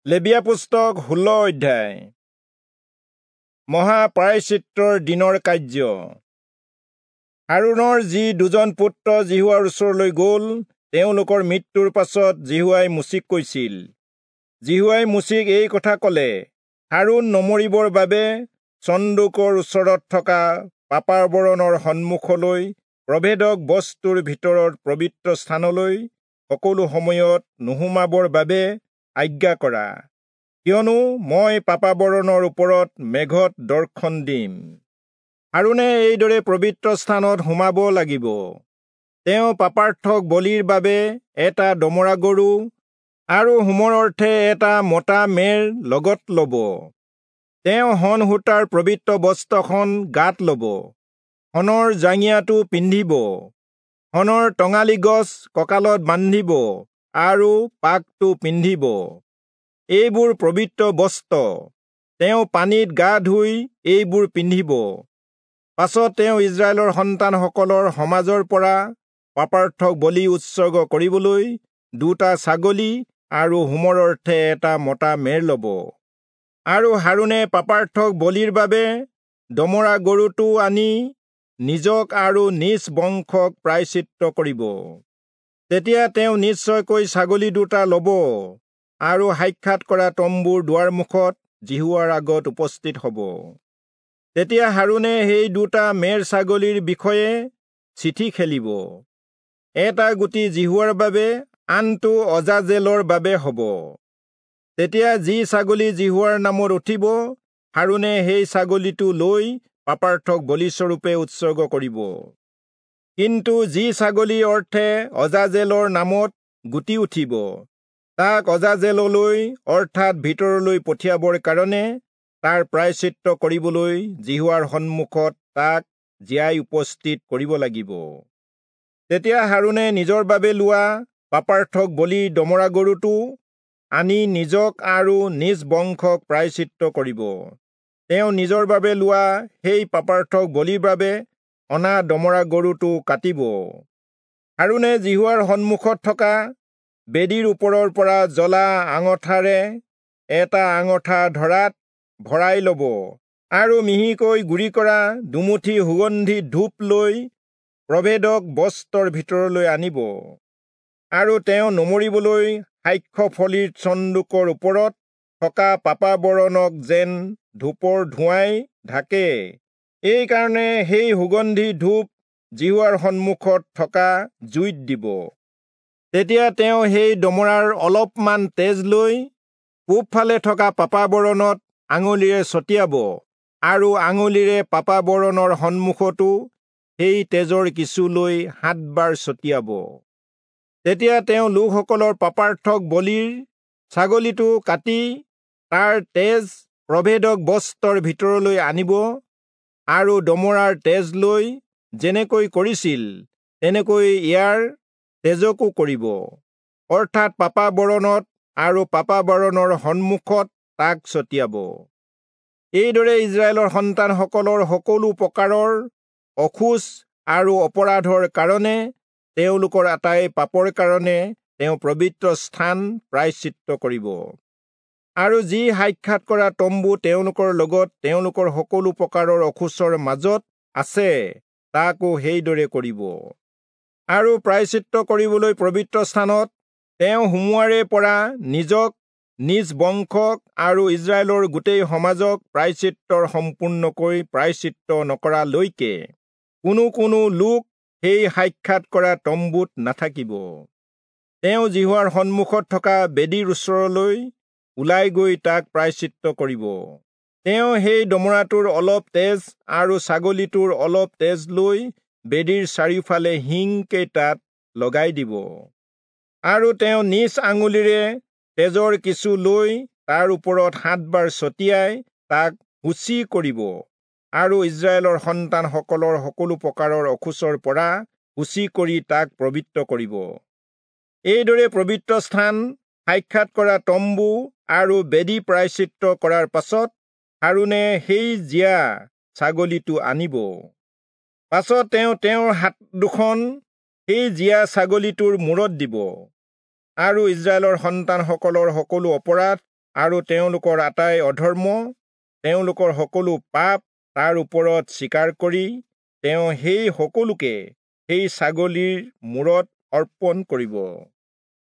লেবীয়া পুস্তক 16 অধ্যায়। মহাপ্ৰায়শ্চিত্তৰ দিনৰ কাৰ্য। হাৰোণৰ যি দুজন পুত্ৰ যিহোৱাৰ ওচৰলৈ গ'ল, তেওঁলোকৰ মৃত্যুৰ পাছত যিহোৱাই মোচিক কৈছিল। যিহোৱাই মোচিক এই কথা ক'লে, হাৰোণ নমৰিবৰ বাবে চন্দুকৰ ওচৰত থকা পাপাবৰণৰ সন্মুখলৈ প্ৰভেদক বস্তুৰ ভিতৰত পবিত্ৰ স্থানলৈ সকলো সময়ত নোসোমাবৰ বাবে আজ্ঞা কৰা, কিয়নো মই পাপাবৰণৰ ওপৰত মেঘত দৰ্শন দিম। হাৰোণে এইদৰে পবিত্ৰ স্থানত সোমাব লাগিব। তেওঁ পাপাৰ্থক বলিৰ বাবে এটা দমৰা গৰু আৰু হোমৰ অৰ্থে এটা মতা মেৰ লগত ল'ব। তেওঁ শণ সূতাৰ পবিত্ৰ বস্ত্ৰখন গাত ল'ব, শণৰ জাঙিয়াটো পিন্ধিব, শণৰ টঙালি গছ কঁকালত বান্ধিব আৰু পাকটো পিন্ধিব। এইবোৰ পবিত্ৰ বস্ত্ৰ। তেওঁ পানীত গা ধুই এইবোৰ পিন্ধিব। পাছত তেওঁ ইস্ৰায়েলৰ সন্তানসকলৰ সমাজৰ পৰা পাপাৰ্থক বলি উৎসৰ্গ কৰিবলৈ দুটা ছাগলী আৰু হোমৰ অৰ্থে এটা মতা মেৰ ল'ব। আৰু হাৰোণে পাপাৰ্থক বলিৰ বাবে দমৰা গৰুটো আনি নিজক আৰু নিজ বংশক প্ৰায়শ্চিত্ত কৰিব। তেতিয়া তেওঁ নিশ্চয়কৈ ছাগলী দুটা ল'ব আৰু সাক্ষাৎ কৰা তম্বুৰ দুৱাৰমুখত যিহোৱাৰ আগত উপস্থিত হ'ব। তেতিয়া হাৰোণে সেই দুটা মেৰ ছাগলীৰ বিষয়ে চিঠি খেলিব। এটা গুটি যিহোৱাৰ বাবে, আনটো অজাজেলৰ বাবে হ'ব। তেতিয়া যি ছাগলী যিহোৱাৰ নামত উঠিব, হাৰোণে সেই ছাগলীটো লৈ পাপাৰ্থক বলিস্বৰূপে উৎসৰ্গ কৰিব। কিন্তু যি ছাগলীৰ অৰ্থে অজাজেলৰ নামত গুটি উঠিব, তাক অজাজেললৈ অৰ্থাৎ ভিতৰলৈ পঠিয়াবৰ কাৰণে তাৰ প্ৰায়শ্চিত্ত কৰিবলৈ যিহোৱাৰ সন্মুখত তাক জীয়াই উপস্থিত কৰিব লাগিব। তেতিয়া হাৰোণে নিজৰ বাবে লোৱা পাপাৰ্থক বলি দমৰা গৰুটো আনি নিজক আৰু নিজ বংশক প্ৰায়শ্চিত্ত কৰিব। তেওঁ নিজৰ বাবে লোৱা সেই পাপাৰ্থক বলিৰ বাবে অনা দমৰা গৰুটো কাটিব। হাৰোণে যিহোৱাৰ সন্মুখত থকা বেদীৰ ওপৰৰ পৰা জ্বলা আঙঠাৰে এটা আঙঠা ধৰাত ভৰাই ল'ব আৰু মিহিকৈ গুড়ি কৰা দুমুঠি সুগন্ধি ধূপ লৈ প্ৰভেদক বস্ত্ৰৰ ভিতৰলৈ আনিব। আৰু তেওঁ নমৰিবলৈ সাক্ষ্যফলিৰ চন্দুকৰ ওপৰত থকা পাপাবৰণক যেন ধূপৰ ধোঁৱাই ঢাকে, এইকাৰণে সেই সুগন্ধি ধূপ যিহোৱাৰ সন্মুখত থকা জুইত দিব। তেতিয়া তেওঁ সেই দমৰাৰ অলপমান তেজ লৈ পূবফালে থকা পাপাবৰণত আঙুলিৰে ছটিয়াব আৰু আঙুলিৰে পাপাবৰণৰ সন্মুখতো সেই তেজৰ কিছু লৈ 7 বাৰ ছটিয়াব। তেতিয়া তেওঁ লোকসকলৰ পাপাৰ্থক বলিৰ ছাগলীটো কাটি তাৰ তেজ প্ৰভেদক বস্ত্ৰৰ ভিতৰলৈ আনিব আৰু দমৰাৰ তেজ লৈ যেনেকৈ কৰিছিল তেনেকৈ ইয়াৰ তেজকো কৰিব, অৰ্থাৎ পাপাবৰণত আৰু পাপাবৰণৰ সন্মুখত তাক ছটিয়াব। এইদৰে ইস্ৰায়েলৰ সন্তানসকলৰ সকলো প্ৰকাৰৰ অশৌচ আৰু অপৰাধৰ কাৰণে, তেওঁলোকৰ আটাই পাপৰ কাৰণে তেওঁ পবিত্ৰ স্থান প্ৰায়শ্চিত্ত কৰিব। আৰু যি সাক্ষাৎ কৰা তম্বু তেওঁলোকৰ লগত তেওঁলোকৰ সকলো প্ৰকাৰৰ অশৌচৰ মাজত আছে, তাকো সেইদৰে কৰিব। আৰু প্ৰায়শ্চিত্ত কৰিবলৈ পবিত্ৰ স্থানত তেওঁ সোমোৱাৰে পৰা নিজক, নিজ বংশক আৰু ইস্ৰায়েলৰ গোটেই সমাজক প্ৰায়শ্চিত্তৰ সম্পূৰ্ণকৈ প্ৰায়শ্চিত্ত নকৰালৈকে কোনো কোনো লোক সেই সাক্ষাৎ কৰা তম্বুত নাথাকিব। তেওঁ যিহোৱাৰ সন্মুখত থকা বেদীৰ ওচৰলৈ ওলাই গৈ তাক প্ৰায়শ্চিত্ত কৰিব। তেওঁ সেই দমৰাটোৰ অলপ তেজ আৰু ছাগলীটোৰ অলপ তেজ লৈ বেদীৰ চাৰিওফালে শিং কেইটাত লগাই দিব। আৰু তেওঁ নিজ আঙুলিৰে তেজৰ কিছু লৈ তাৰ ওপৰত 7 বাৰ ছটিয়াই তাক শুচি কৰিব আৰু ইস্ৰায়েলৰ সন্তানসকলৰ সকলো প্ৰকাৰৰ অশৌচৰ পৰা শুচি কৰি তাক পবিত্ৰ কৰিব। এইদৰে পবিত্ৰ স্থান, সাক্ষাৎ কৰা তম্বু আৰু বেদী প্ৰায়শ্চিত্ত কৰাৰ পাছত হাৰোণে সেই জীয়া ছাগলীটো আনিব। পাছত তেওঁ তেওঁৰ হাত দুখন সেই জীয়া ছাগলীটোৰ মূৰত দিব আৰু ইস্ৰায়েলৰ সন্তানসকলৰ সকলো অপৰাধ আৰু তেওঁলোকৰ আটাই অধৰ্ম, তেওঁলোকৰ সকলো পাপ তাৰ ওপৰত স্বীকাৰ কৰি তেওঁ সেই সকলোকে সেই ছাগলীৰ মূৰত অৰ্পণ কৰিব।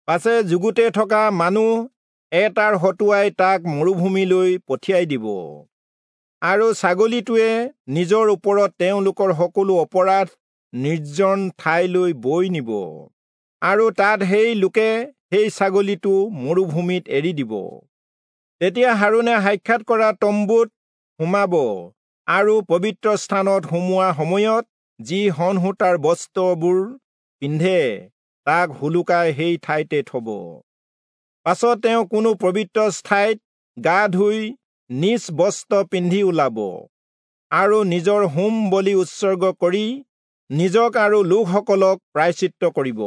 পাছে যুগুতে থকা মানুহ এটাৰ হতুৱাই তাক মৰুভূমিলৈ পঠিয়াই দিব, আৰু ছাগলীটোৱে নিজৰ ওপৰত তেওঁলোকৰ সকলো অপৰাধ নিৰ্জন ঠাইলৈ বৈ নিব, আৰু তাত সেই লোকে সেই ছাগলীটো মৰুভূমিত এৰি দিব। তেতিয়া হাৰোণে সাক্ষাৎ কৰা তম্বুত সোমাব, আৰু পবিত্ৰ স্থানত সোমোৱা সময়ত যি সনসূতাৰ বস্ত্ৰবোৰ পিন্ধে তাক হুলুকাই সেই ঠাইতে থব। পাছত তেওঁ কোনো পবিত্ৰ ঠাইত গা ধুই নিজ বস্ত্ৰ পিন্ধি ওলাব, আৰু নিজৰ হোম বলি উৎসৰ্গ কৰি নিজক আৰু লোকসকলক প্ৰায়শ্চিত্ত কৰিব,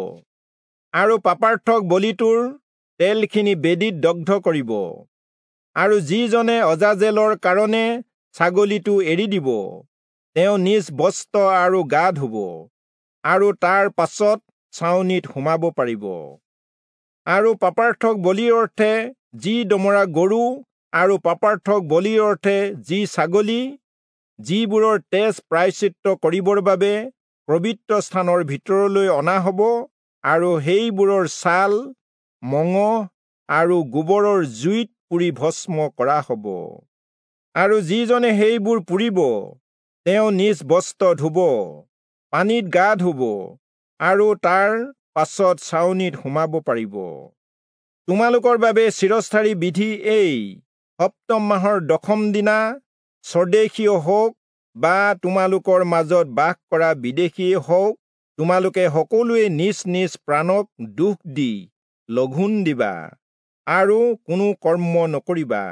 আৰু পাপাৰ্থক বলিটোৰ তেলখিনি বেদীত দগ্ধ কৰিব। আৰু যিজনে অজাজেলৰ কাৰণে ছাগলীটো এৰি দিব, তেওঁ নিজ বস্ত্ৰ আৰু গা ধুব, আৰু তাৰ পাছত ছাউনিত সোমাব পাৰিব। আৰু পাপাৰ্থক বলিৰ অৰ্থে যি দমৰা গৰু আৰু পাপাৰ্থক বলিৰ অৰ্থে যি ছাগলী, যিবোৰৰ তেজ প্ৰায়শ্চিত্ত কৰিবৰ বাবে পবিত্ৰ স্থানৰ ভিতৰলৈ অনা হ'ব, আৰু সেইবোৰৰ ছাল, মঙহ আৰু গোবৰৰ জুইত পুৰি ভস্ম কৰা হ'ব। আৰু যিজনে সেইবোৰ পুৰিব, তেওঁ নিজ বস্ত্ৰ ধুব, পানীত গা ধুব, আৰু তাৰ পাছত ছাউনিত সোমাব পাৰিব। তোমালোকৰ বাবে চিৰস্থায়ী বিধি এই: সপ্তম মাহৰ দশম দিনা স্বদেশীয় হওক বা তোমালোকৰ মাজত বাস কৰা বিদেশীয়ে হওক, তোমালোকে সকলোৱে নিজ নিজ প্ৰাণক দুখ দি লঘোণ দিবা আৰু কোনো কৰ্ম নকৰিবা।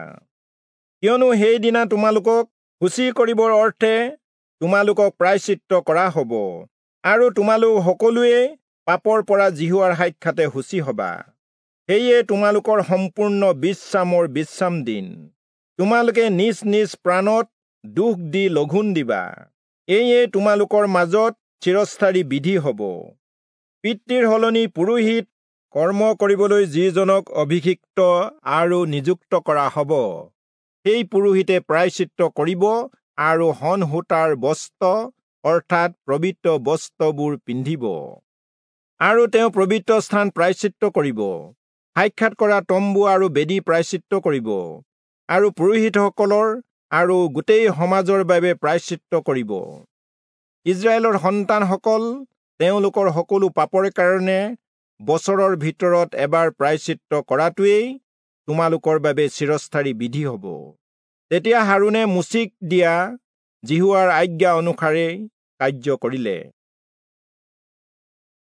কিয়নো সেইদিনা তোমালোকক শুচি কৰিবৰ অৰ্থে তোমালোকক প্ৰায়শ্চিত্ত কৰা হ'ব, আৰু তোমালোক সকলোৱে পাপৰ পৰা যিহোৱাৰ সাক্ষাতে শুচি হবা। সেয়ে তোমালোকৰ সম্পূৰ্ণ বিশ্ৰামৰ বিশ্ৰাম দিন। তোমালোকে নিজ নিজ প্ৰাণত দুখ দি লঘোণ দিবা। এয়ে তোমালোকৰ মাজত চিৰস্থায়ী বিধি হ'ব। পিতৃৰ সলনি পুৰোহিত কৰ্ম কৰিবলৈ যিজনক অভিষিক্ত আৰু নিযুক্ত কৰা হ'ব, সেই পুৰোহিতে প্ৰায়শ্চিত্ত কৰিব আৰু সনসূতাৰ বস্ত্ৰ অৰ্থাৎ পবিত্ৰ বস্ত্ৰবোৰ পিন্ধিব, আৰু তেওঁ পবিত্ৰ স্থান প্ৰায়শ্চিত্ত কৰিব, সাক্ষাৎ কৰা তম্বু আৰু বেদী প্ৰায়শ্চিত্ত কৰিব, আৰু পুৰোহিতসকলৰ আৰু গোটেই সমাজৰ বাবে প্ৰায়শ্চিত্ত কৰিব। ইস্ৰায়েলৰ সন্তানসকল তেওঁলোকৰ সকলো পাপৰ কাৰণে বছৰৰ ভিতৰত এবাৰ প্ৰায়শ্চিত্ত কৰাটোৱেই তোমালোকৰ বাবে চিৰস্থায়ী বিধি হ'ব। তেতিয়া হাৰোণে মোচিক দিয়া যিহোৱাৰ আজ্ঞা অনুসাৰে কাৰ্য কৰিলে।